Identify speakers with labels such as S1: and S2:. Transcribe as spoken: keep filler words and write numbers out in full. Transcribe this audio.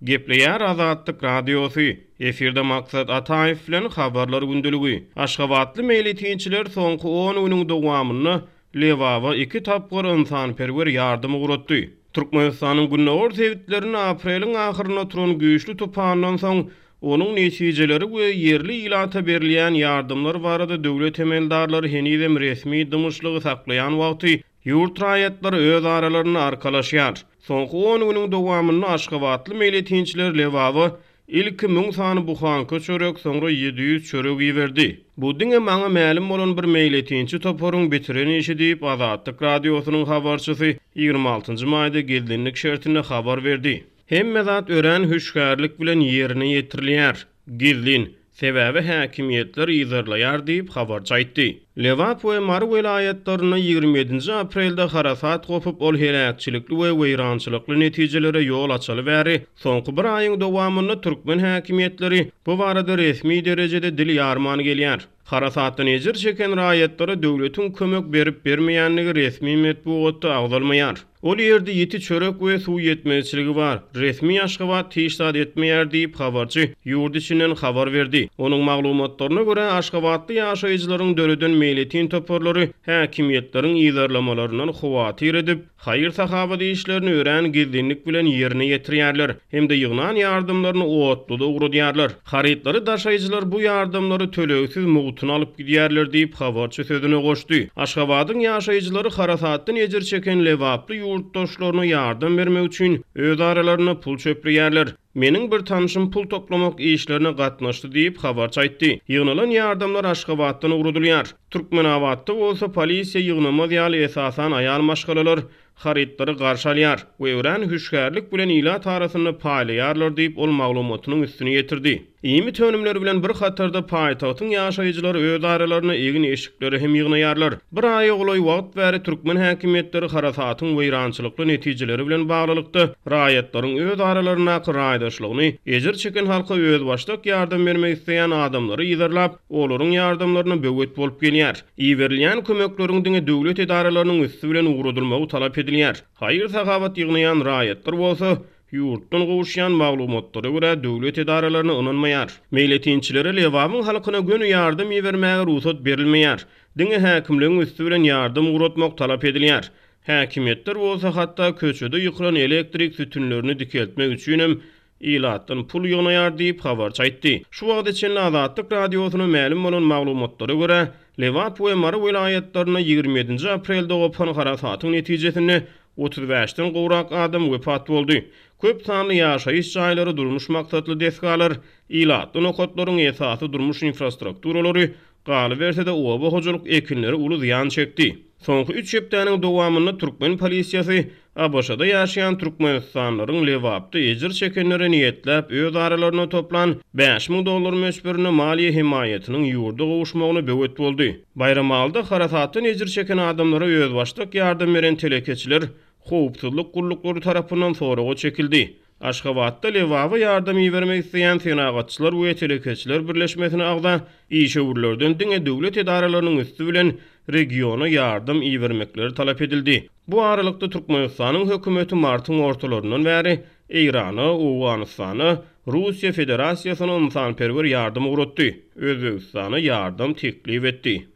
S1: Gepleýär Azatlyk Radiosy. Efirde Maksat Ataýew bilen Habarlar gündeligi. Aşgabatly meýletinçiler soňky on günüň dowamynda Lebaba iki tapgyr ynsanperwer ýardam ugratdy. Türkmenistanyň gündogar sebitlerinde apreliň ahyrynda turan güýçli tupandan soň onuň netijeleri we ýerli ilata berilýän ýardamlar barada döwlet emeldarlary henizem resmi dymyşlygy saklaýan wagty ýurt raýatlary öz aralarynda arkalaşýar. Soňky on günüň dowamynda Aşgabatly meýletinçiler Lebaba ilki müň sany buhanka çörek, soňra ýedi ýüz çörek iberdi. Bu diňe maňa mälim bolan bir meýletinçi toparyň bitiren işi diýip Azatlyk Radiosynyň habarçysy ýigrimi altynjy maýda gizlinlik şertinde habar berdi. Hemme zat örän hüşgärlik bilen ýerine ýetirilýär. Gizlin, sebäbi häkimiýetler yzarlaýar diýip habarçy aýtdy. Lebap we Mary welaýatlarynda ýigrimi ýedinji aprelde harasat gopup, ol heläkçilikli we weýrançylykly netijelere ýol açaly bäri, soňky bir aýyň dowamynda türkmen häkimiýetleri bu barada resmi derejede dil ýarman gelýär. Harasatdan ejir çeken raýatlara döwletiň kömek berip bermeýänligi resmi metbugatda agzalmaýar. Ol ýerde ýiti çörek we suw ýetmezçiligi bar. Resmi Aşgabat hiç zat etmeýär diýip habarçy ýurt içinden habar berdi. Onuň maglumatlaryna görä Aşgabatly ýaşaýjylaryň döreden meýletin toparlary häkimiýetleriň yzarlamalaryndan howatyr edip, haýyr-sahawat işlerini örän gizlinlik bilen ýerine ýetirýärler hem-de ýygnan ýardamlaryny otluda ugradýarlar. Harytlary daşaýjylar bu ýardamlary tölegsiz mugtuna alyp gidýärler diýip habarçy sözüne goşdy. Aşgabadyň ýaşaýjylary harasatdan ejir çeken Lebaply ýurtdaşlaryna ýardam bermek üçin öz aralarynda pul çöpleýärler. Meniň bir tanşym pul toplamak işlerine gatnaşdy diýip habarçy aýtdy. Ýygnalan ýardamlar Aşgabatdan ugradylýar. Türkmenabatda bolsa polisiýa ýygnamaz ýaly esasan aýal maşgalalar harytlary garşy alýar we örän hüşgärlik bilen ilat arasynda paýlaýarlar diýip ol maglumatynyň üstüni ýetirdi. Iýmit önümleri bilen bir hatarda paýtagtyň ýaşaýjylary öz aralaryna egin eşikleri hem ýygnaýarlar. Bir aýa golaý wagt bäri türkmen häkimiýetleri harasatyň weýrançylykly netijeleri bilen baglylykda raýatlaryň öz aralaryndaky raýdaşlygyny ejir çeken halka özbaşdak ýardam bermek isleýän adamlary yzarlap, olaryň ýardamlaryna böwet bolup gelýär. Iberilýän kömekleriň diňe döwlet edaralarynyň üsti bilen ugradylmagy talap edilýär. Haýyr-sahawat ýygnaýan raýatlar bolsa ýurtdan gowuşýan maglumatlara görä döwlet edaralaryna ynanmaýar. Meýletinçilere Lebabyň halkyna göni ýardam ibermäge rugsat berilmeýär. Diňe häkimligiň üsti bilen ýardam ugratmak talap edilýär. Häkimiýetler bolsa hatda köçede ýykylan elektrik sütünlerini dikeltmek üçin hem ilatdan pul ýygnaýar diýip habarçy aýtdy. Şu wagta çenli Azatlyk Radiosyna mälim bolan maglumatlara görä Lebap we Mary welaýatlarynda ýigrimi ýedinji aprelde gopan harasatyň netijesinde otuz bäşden gowrak adam wepat boldy. Köp sanly ýaşaýyş jaýlary, durmuş maksatly desgalar, ilatly nokatlaryň esasy durmuş infrastrukturalary, galyberse-de oba hojalyk ekinleri uly zyýan çekdi. Soňky üç hepdäniň dowamynda türkmen polisiýasy A B Ş-da ýaşaýan Türkmenistanlylaryň Lebapda ejir çekenlere niýetläp öz aralaryna toplan bäş müň dollar möçberinde maliýe hemaýatynyň ýurda gowuşmagyna böwet boldy. Baýramalyda harasatdan ejir çeken adamlara özbaşdak ýardam beren telekeçiler howpsuzlyk gulluklary tarapyndan soraga çekildi. Aşgabatda Lebaba ýardam ibermek isleýän senagatçylar we telekeçiler birleşmesine agza işewürlerden diňe döwlet edaralarynyň üsti bilen regiona ýardam ibermekleri talap edildi. Bu aralykda Türkmenistanyň hökümeti martyň ortalaryndan bäri Eýrana, Owganystana, Russiýa Federasiýasyna ynsanperwer ýardam ugratdy. Özbegistana ýardam teklip etdi.